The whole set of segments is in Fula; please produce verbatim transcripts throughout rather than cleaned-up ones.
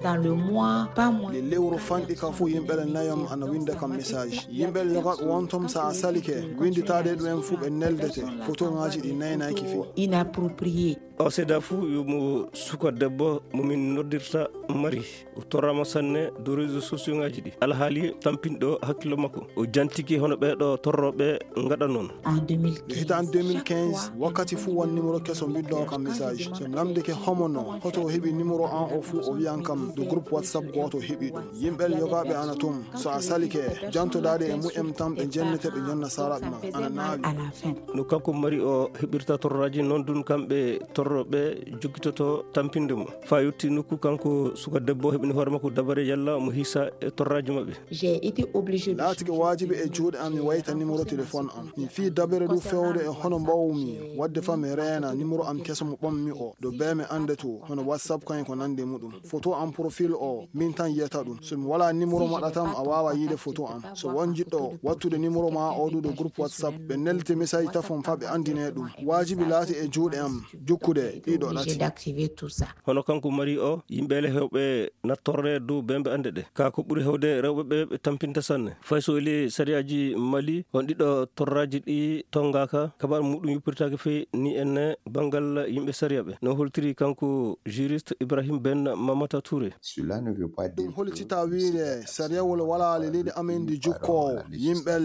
Dans le mois, pas moins. Le lewru fanɗi ka fuu, yimɓe le nayom ana winnda kam message. Yimɓe le yoga wontom sa a salike, winnditaade ɗum en fuu ɓe neldete. Fotoŋaaji ɗi naynayki fii. Inapproprié. O seeda fuu yo mo suka debbo mo min noddirta mari. O torraama sanne dow réseaux sociaux ŋaaji ɗi. Alhaali tampinɗo hakkillo makko. O jantiki hono ɓee ɗo torrooɓe ngaɗa noon. En deux mille quinze. Nde hitaande deux mille quinze, wakkati fuu won numéro keso mbiddoo kam message. So mi namndike homo no, hoto o heɓi numéro an o fuu, o wiyan kam ɗo groupe WhatsApp gooto heɓi ɗum. Yimɓe yogaaɓe ana toon. So a salike, jantodaade e mu'en tan ɓe jennete, ɓe jonna saraaɓe ma. Ana naawi. À la fin. No kanko mari o heɓirta torraaji, noon dun kamɓe torrooɓe jokkitoto tampinde mo. Faa yotti nokku kanko suka debbo heɓini hoore makko dabare yalla mo hisa e torraaji maɓɓe. J'ai été obligé de Laatike waajibi e juuɗe am mi wayta numéro téléphone am. Mi fii dabere du fewde e hono mbawmi waɗde faa mi reena numéro am keso mo ɓammi o. Ɗo bee mi annde to, hono WhatsApp kaŋ e ko nandi e muɗum. Foto am profil o, min tan yiyata ɗum. So mi walaa numéro maɗa tan, a waawaa yiide foto am. So won jiɗɗo wattude numéro ma o du ɗo groupe WhatsApp, ɓe neldete message tafon faa ɓe anndine ɗum. Waajibi laati e juuɗe am jukkude ɗiɗo Obligé ɗati. D'activer tout ça. Hono kanko mari o, yimɓe le heewɓe nattorre dow bembe annde ɗe. Kaa ko ɓuri heewde rewɓe ɓe, ɓe tampinta sanne. Fay so eli sariyaaji Mali, on ɗiɗo torraaji ɗi tongaaka, kabar muɗum yuppirtaake fey ni enne banngal yimɓe sariya ɓe. No holtiri kanko juriste Ibrahim Ben Mamata Touré. Cela ne veut pas dire Ɗum hollitaa wiide sariyawol walaa le leydi amen ndi jukkoowo yimɓe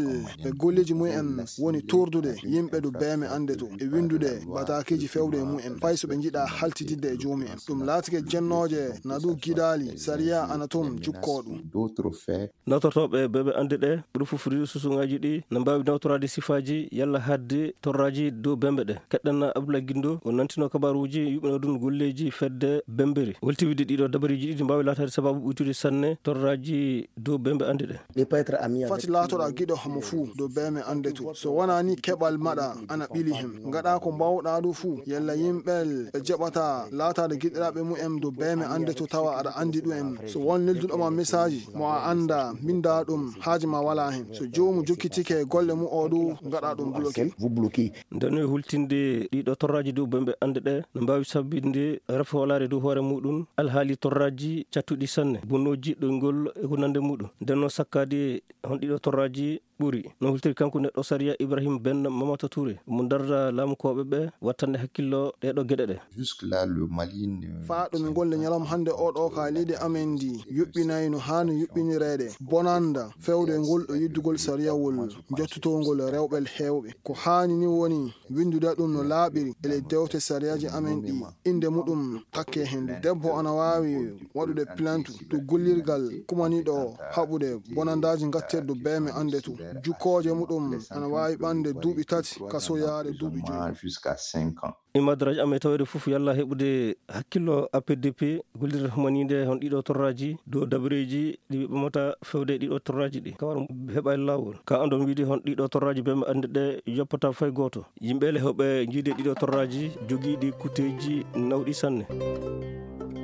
ɓe golleeji mumen woni tordude yimɓe ɗo bee mi annde to e winndude bataakeeji fewde e mumen fay so ɓe njiɗaa haltididde e joomum en. Ɗum laatike jennooje na ɗum gidaali sariya ana toon jukkoo ɗum. D'autres faits. Nawtortooɓe bee mi annde ɗe ɓuri fof réseaux sociaux ŋaaji ɗi na mbaawi nawtoraade sifaaji yalla haɗde torraaji dow bembe ɗe. Keɗɗen Abdoulaye Guindo, o nantino kabaruuji yuɓɓinoo ɗum golleeji fedde bemberi. Holti wiide ɗiɗo dabariiji ɗiɗi mbaawi laataade sabaabu ɓuytude sanne torraaji dow bembe annde ɗe. Fati laatoɗaa giɗo homo fuu dow bee mi annde to. So wonaa ni keɓal maɗa ana ɓili hem. Ngaɗaa ko mbaawɗaa ɗum fuu. Yalla yimɓe ɓe jaɓata laataade giɗiraaɓe mumen dow bee mi annde to tawa aɗa anndi ɗum en. So won nelduɗo ma message mo a anndaa, mbinndaa ɗum, haaji ma walaa hen. So joomu jokkitike golle mu o ɗum, ngaɗaa ɗum bloqué. Vous bloquez. Nden no e hultinde ɗiɗo torraaji dow bembe annde ɗe no mbaawi sabbinde rafo walaare dow hoore muɗum, alhaali torraaji cattuɗi sanne, bonnooji ɗoyngol e ko nande muɗum. Nden no sakkaade hon ɗiɗo torraaji ɓuri. No hultiri kanko neɗɗo sariya Ibrahim Ben Mamata Touré, mo darda laamukooɓe ɓe wattande hakkillo ɗeeɗo geɗe ɗe. Jusque-là, le Mali ne Faa ɗo min golle ñalawma hannde o ɗo ka leydi amen ndi yuɓɓinay no haani yuɓɓinireede. Bonanda fewde ngol ɗo yiddugol sariyawol jottotongol rewɓe heewɓe. Ko haani ni woni winndude ɗum no laaɓiri e ley dewte sariyaaji amen ɗi innde muɗum takkee heen. Debbo ana waawi waɗude plainte to gollirgal kumaniiɗo haɓude bonandaaji ngatteeɗi dow bee mi annde to. Jukkooje muɗum ana waawi ɓande duuɓi tati ka soyaare duuɓi joyi. Jusqu'à cinq ans. E madraji amen taweede fof yalla heɓude hakkillo A P D P gollirde humaniinde hon ɗiɗo torraaji dow dabareeji ɗi ɓe ɓamata fewde ɗiɗo torraaji ɗi. Kawar heɓa e laawol. Ka andon wiide hon ɗiɗo torraaji bee mi annde ɗe yoppata fay gooto. Yimɓe le heɓe njiide ɗiɗo torraaji jogiiɗi kuteeji nawɗi sanne.